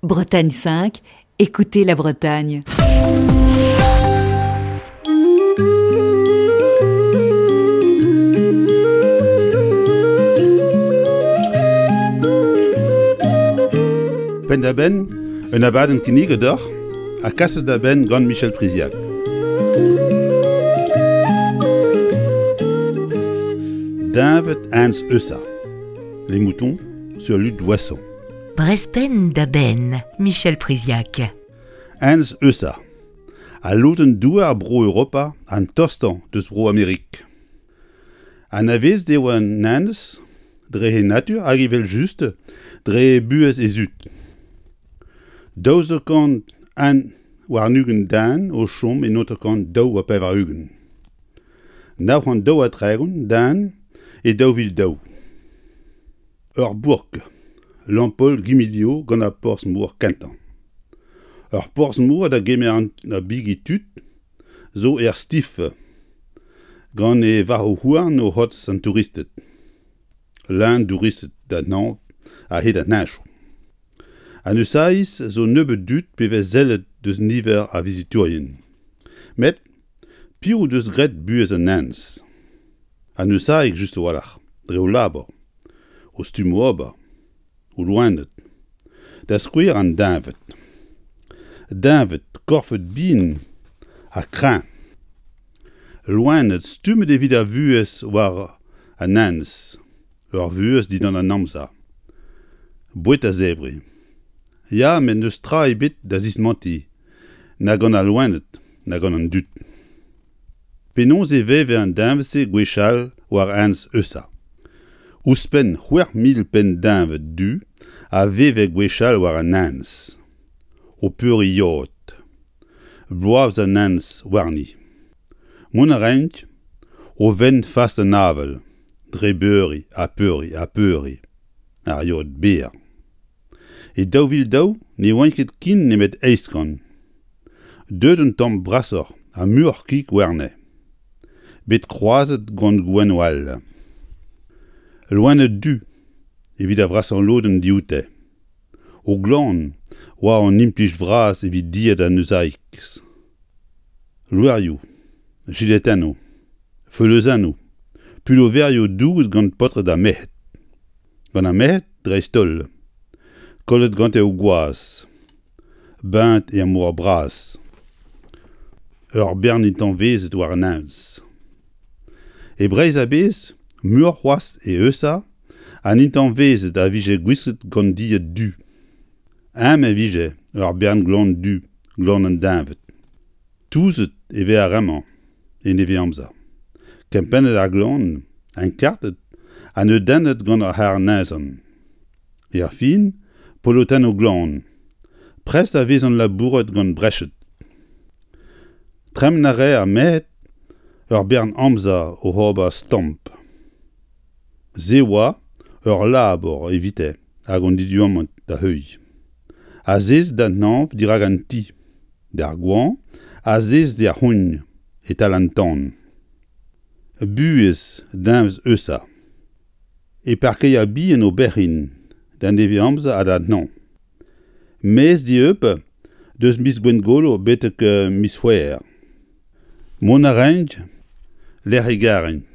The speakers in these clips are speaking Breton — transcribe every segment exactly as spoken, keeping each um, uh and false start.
Bretagne cinq, écoutez la Bretagne. Penn-da-benn, un abadenn kinniget deoc'h ha kaset da benn gant Michel Priziac. Deñved Enez Eusa. Les moutons sur l'île d'Ouessant. Brezh Penn da Benn, Michel Priziac. Enez Eusa. Al lodenn douar Bro-Europa an tostañ deus Bro-Amerik. Anavezet eo an enez dre he natur hag evel-just dre buhez he zud. Daouzek kant un warn-ugent den o chom e hanter-kant daou ha pevar-ugent. Nav c'hant daou ha tregont den e daou vil daou. Ur bourk, Lampaul-Guimilliau gant ar porzh-mor kentañ. Ur porzh-mor da gemer an bigi tud zo er Stiff gant e varc'hoù-houarn o c'hortoz an touristed. Leun douristed d'an hañv a-hed an henchoù. An Eusaiz zo nebeut dud pe vez sellet deus niver ar vizitourien. Met piv o deus graet buhez an enez? An Eusaig just a-walc'h, dre o labour, o stummoù ober, o loened. Da skouer an deñved. Deñved korfet bihan ha kreñv. Loened stummet evit ar vuhez war an enez, ur vuhez dindan an amzer. Boued a-zevri. Ya, met n'eus tra ebet da zismantiñ, na gant al loened, na gant an dud. Penaos e veve an deñved-se gwechall war enez Eusa? Ouzhpenn c'hwec'h mil penn deñved du a veve gwechall war an enez, o peuriñ yod. Bloavezh an enez warni. Mont a raent o vent fas d'an avel, dre beuriñ ha peuriñ ha peuriñ, ar yod berr. E daou vil daou ne oant ket ken nemet eizh kant. Deuet un tamm brasoc'h ha muioc'h kig warne. Bet kroazet gant gouennoù all. Loened du evit ar vrasañ lodenn dioute. O glan oa an implij vras evit dilhad an Eusaiz. Loerioù, jiletennoù, feuleuzennoù, puloverioù douget gant paotred ha merc'hed. Gant ar merc'hed dreist-holl. Kollet gante o gwaz. Beñt er mor bras. Ur bern intañvezed war an enez. E Breizh a-bezh, muioc'h c'hoazh e Eusa, an intañvezed a vije gwisket gant dilhad du. Eñ e vije ur bern gloan du, gloan an deñved. Touzet e vez ar re-mañ en nevez-amzer. Kempennet ar gloan, enkartet ha neudennet gant ar c'harr-neizhan. Er fin, polotennoù glan. Prest a vezont labouret gant breched. Tremen a rae ar merc'hed ur bern amzer oc'h ober stamp. Se oa ur labour evite hag an diduamant da heuilh. Azezet d'an hañv dirak an ti, d'ar goañv, azezet er c'hogn e-tal an tan. Buhez deñved Eusa. E parkeier bihan o berc'hin d'an nevez-amzer ha d'an hañv. Maez dieub deus miz Gwengolo betek miz C'hwevrer. Mont a raent lec'h e garent,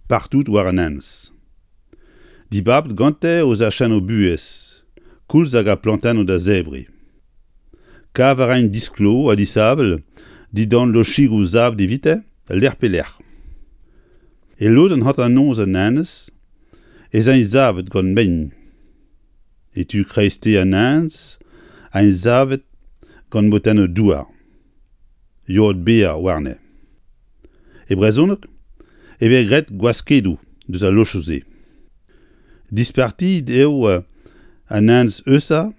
partout war an enez. Dibabet gante o zachennoù buhez, koulz hag ar plantennoù da zebriñ. Kav a raent disklo ha disheñvel dindan lochigoù savet evite lec'h pe lec'h. E lodenn hanternoz an enez ez int savet gant mein. E tu kreisteiz an enez int savet gant motennoù douar. Yod berr warne. E brezhoneg e vez graet gwaskedoù deus al lochoù-se. Dispartiet eo an enez Eusa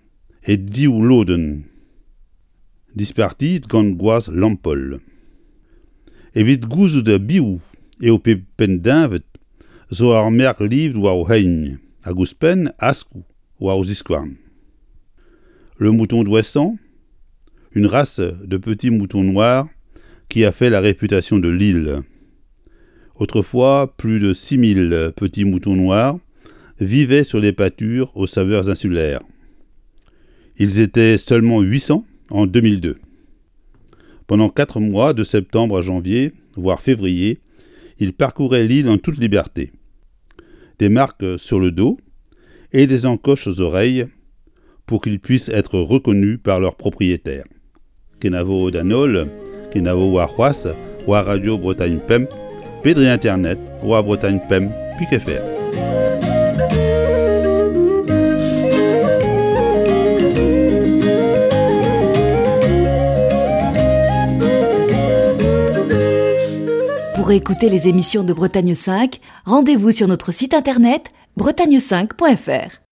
e div lodenn. Dispartiet gant gwazh Lampaul. Evit gouzout piv eo pep penn-deñved zo ur merk livet war o c'hein hag ouzhpenn askoù war o ziskouarn. Le mouton d'Ouessant, une race de petits moutons noirs qui a fait la réputation de l'île. Autrefois, plus de six mille petits moutons noirs vivaient sur les pâtures aux saveurs insulaires. Ils étaient seulement huit cents en deux mille deux. Pendant quatre mois, de septembre à janvier, voire février, ils parcouraient l'île en toute liberté. Des marques sur le dos et des encoches aux oreilles pour qu'ils puissent être reconnus par leurs propriétaires. Kenavo d'an holl, kenavo warc'hoazh, war Radio Bretagne Pemp, pe dre internet, war Bretagne Pemp, pik F R. Pour écouter les émissions de Bretagne cinq, rendez-vous sur notre site internet bretagne cinq point F R.